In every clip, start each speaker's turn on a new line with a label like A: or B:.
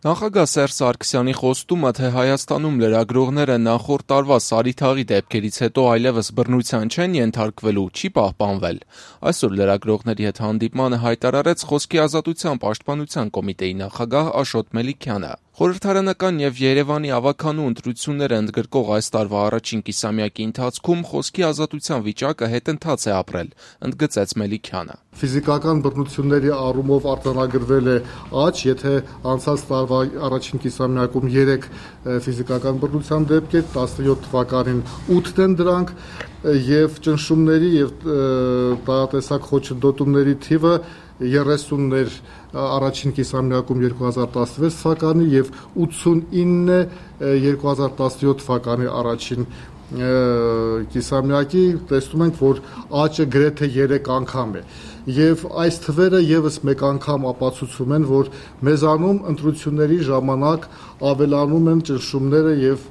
A: Նախագահ Սերժ Սարգսյանի խոստումը, թե Հայաստանում լրագրողները նախորդ տարվա Սարիթաղի դեպքերից հետո այլևս բռնության չեն ենթարկվելու, չի պահպանվել։ Այսօր լրագրողների հետ հանդիպմանը հայտարարեց Խոսքի ազատության պաշտպանության կոմիտեի նախագահ Աշոտ Մելիքյանը։ Խորհրդարանական եւ Երևանի ավագանու ընտրությունները ընդգրկող այս տարվա առաջին կիսամյակի ընթացքում խոսքի ազատության վիճակը հետընթաց է ապրել, ընդգծեց Մելիքյանը։
B: Ֆիզիկական բռնությունների առումով արձանագրվել է աճ, եթե անցած տարվա առաջին կիսամյակում 3 ֆիզիկական բռնության դեպք է, 17 թվականին 8 են դրանք, եւ ճնշումների եւ տարատեսակ խոչընդոտումների թիվը 30-ներ առաջին կիսամյակում 2016 թվականի եւ 89 2017 թվականի առաջին կիսամյակի տեսնում ենք, որ աճը գրեթե 3 անգամ է եւ այս թվերը եւս մեկ անգամ ապացուցում են, որ մեզանում ընտրությունների ժամանակ ավելանում են ճնշումները եւ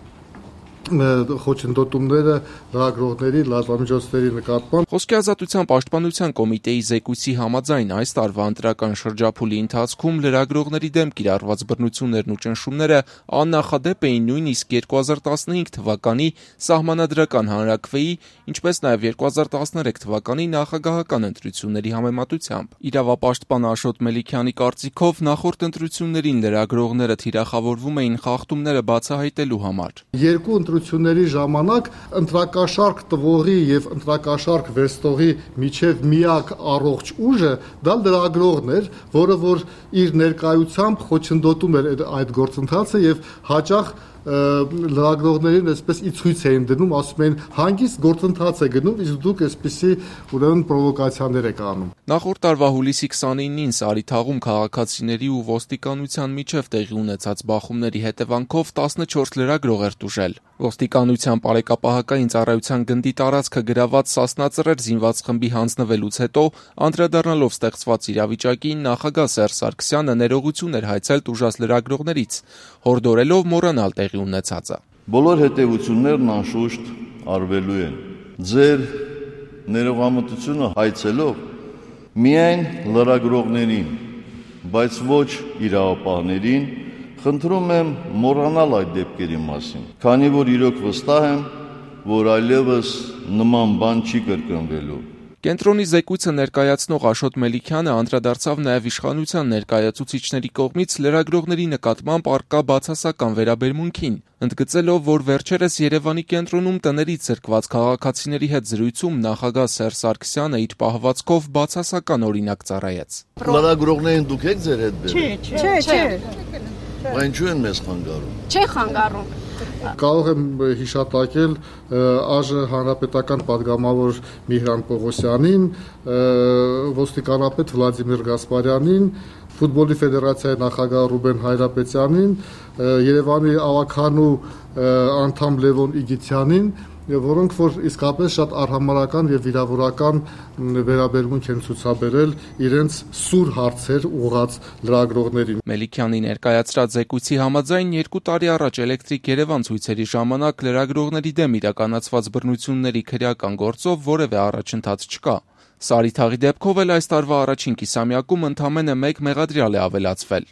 B: խոչընդոտումները լրագրողների, լրատվամիջոցների նկատմամբ։
A: Խոսքի ազատության պաշտպանության կոմիտեի զեկույցի համաձայն այս տարվա ընտրական շրջափուլի ընթացքում լրագրողների դեմ կիրառված բռնություններն ու ճնշումները աննախադեպ էին նույնիսկ 2015 թվականի սահմանադրական հանրաքվեի, ինչպես նաև 2013 թվականի նախագահական ընտրությունների համեմատությամբ։ Իրավապաշտպան Աշոտ Մելիքյանի կարծիքով նախորդ ընտրություններին լրագրողները թիրախավորվում էին խախտումները բացահայտելու համար։
B: Երկու ընտրությունների ժամանակ ընտրակաշարք տվողի եւ ընտրակաշարք վերստողի միջև միակ առողջ ուժը դա լրագրողն էր, որը որ իր ներկայությամբ խոչընդոտում էր այդ գործընթացը եւ հաճախ լրագրողներին այսպես ի ցույց էին դնում, ասում էին հանգիստ գործընթաց է գնում, իսկ դուք այսպեսի ուրեմն պրովոկացիաներ եք անում։
A: Նախորդ տարվա հուլիսի 29-ին Սարիթաղում քաղաքացիների ու ոստիկանության միջև տեղի ունեցած բախումների հետևանքով 14 լրագրող էր տուժել։ Ոստիկանության բարեկապահական ծառայության գնդի տարածքը գրաված Սասնա-Ծռեր զինված խմբի հանձնվելուց հետո, անդրադառնալով ստեղծված իրավիճակին, նախագահ Սերժ Սարգսյանը ներողություն էր հայցել տուժած լրագրողներից, հորդորելով մոռանալ տեղի ունեցածը։
C: Բոլոր հետևություններն անշուշտ արվելու են։ Ձեր ներողամտությունը հայցելով միայն լրագրողներին, բայց ոչ իրավապահներին, խնդրում եմ մոռանալ այդ դեպքերի մասին, քանի որ իրոք վստահ եմ, որ այլևս նման բան չի կրկնվելու։
A: Կենտրոնի զեկույցը ներկայացնող Աշոտ Մելիքյանը անդրադարձավ նաև իշխանության ներկայացուցիչների կողմից լրագրողների նկատմամբ առկա բացասական վերաբերմունքին, ընդգծելով, որ վերջերս Երևանի կենտրոնում տներից զրկված քաղաքացիների հետ զրույցում նախագահ Սերժ Սարգսյանը իր պահվածքով բացասական օրինակ ծառայեց։
C: Լրագրողներին դուք եք ձեր հետ բերել։
D: Չէ։
C: Բայց ինչու են մեզ խանգարում։
D: Չէ խանգարում։
B: Կարող եմ հիշատակել ԱԺ հանրապետական падգամավոր Միհրան Պողոսյանին, ոստիկանապետ Վլադիմիր Գասպարյանին, ֆուտբոլի ֆեդերացիայի նախագահ Ռուբեն Հայրապետյանին, Երևանի ավագանու անդամ Լևոն Իգիթյանին, որոնք որ իսկապես շատ արհամարհական եւ վիրավորական վերաբերմունք են ցուցաբերել իրենց սուր հարցեր ուղղած լրագրողներին։
A: Մելիքյանի ներկայացրած զեկույցի համաձայն 2 տարի առաջ Էլեկտրիկ Երևան ցույցերի ժամանակ լրագրողների դեմ իրականացված բռնությունների քրեական գործով որևէ առաջընթաց չկա։ Սարիթաղի դեպքով էլ այս տարվա առաջին կիսամյակում ընդամենը 1 մեղադրյալ է ավելացվել։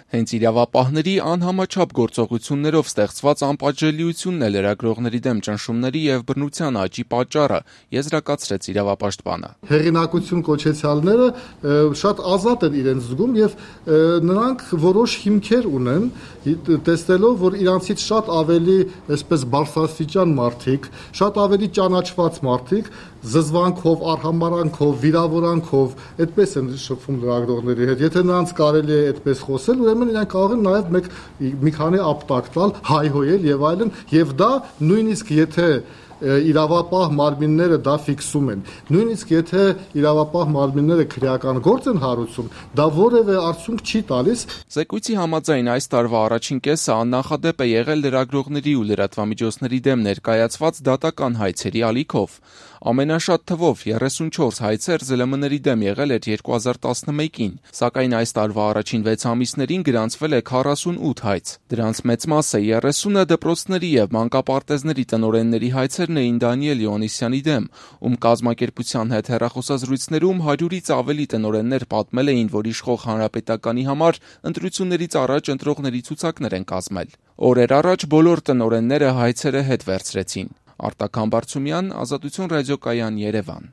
A: Հենց իրավապահների անհամաչափ գործողություններով ստեղծված անպատժելիությունն է լրագրողների դեմ ճնշումների եւ բռնության աճի պատճառը, եզրակացրեց իրավապաշտպանը։
B: Հեղինակություն կոչեցյալները շատ ազատ են իրենց զգում եւ նրանք որոշ հիմքեր ունեն, տեսնելով, որ իրանցից շատ ավելի այսպես բարձրաստիճան մարդիկ, շատ ավելի ճանաչված մարդիկ զզվանքով, արհամարանքով, վիրավորանքով այդպես են շփվում լրագրողների հետ։ Եթե նրանց կարելի է այդպես խոսել, ուրեմն իրանք կարող են նաև մի քանի ապտակ տալ, հայհոյել եւ այլն, եւ դա նույնիսկ եթե իրավապահ մարմինները դա ֆիքսում են, նույնիսկ եթե իրավապահ մարմինները քրեական գործ են հարուցում, դա որևէ արդյունք չի տալիս։
A: Զեկույցի համաձայն այս տարվա առաջին կեսը աննախադեպ է եղել լրագրողների ու լրատվամիջոցների դեմ ներկայացված դատական հայցերի ալիքով։ Ամենաշատ թվով 34 հայցեր ԶԼՄ-ների դեմ եղել էր 2011-ին, սակայն այս տարվա առաջին 6 ամիսներին գրանցվել է 48 հայց։ Դրանց մեծ մասը 30-ը դպրոցների եւ մանկապարտեզների տնօրենների հայցերն էին Դանիել Յովհաննիսյանի դեմ, ում կազմակերպության հետ հեռախոսազրույցներում 100-ից ավելի տնօրեններ պատմել էին, որ իշխող հանրապետականի համար ընտրություններից առաջ ընտրողների ցուցակներ են կազմել։ Օրեր առաջ բոլոր տնօրենները հայցերը հետ վերցրեցին։ Արտակ Համբարձումյան, Ազատություն ռադիոկայան, Երևան։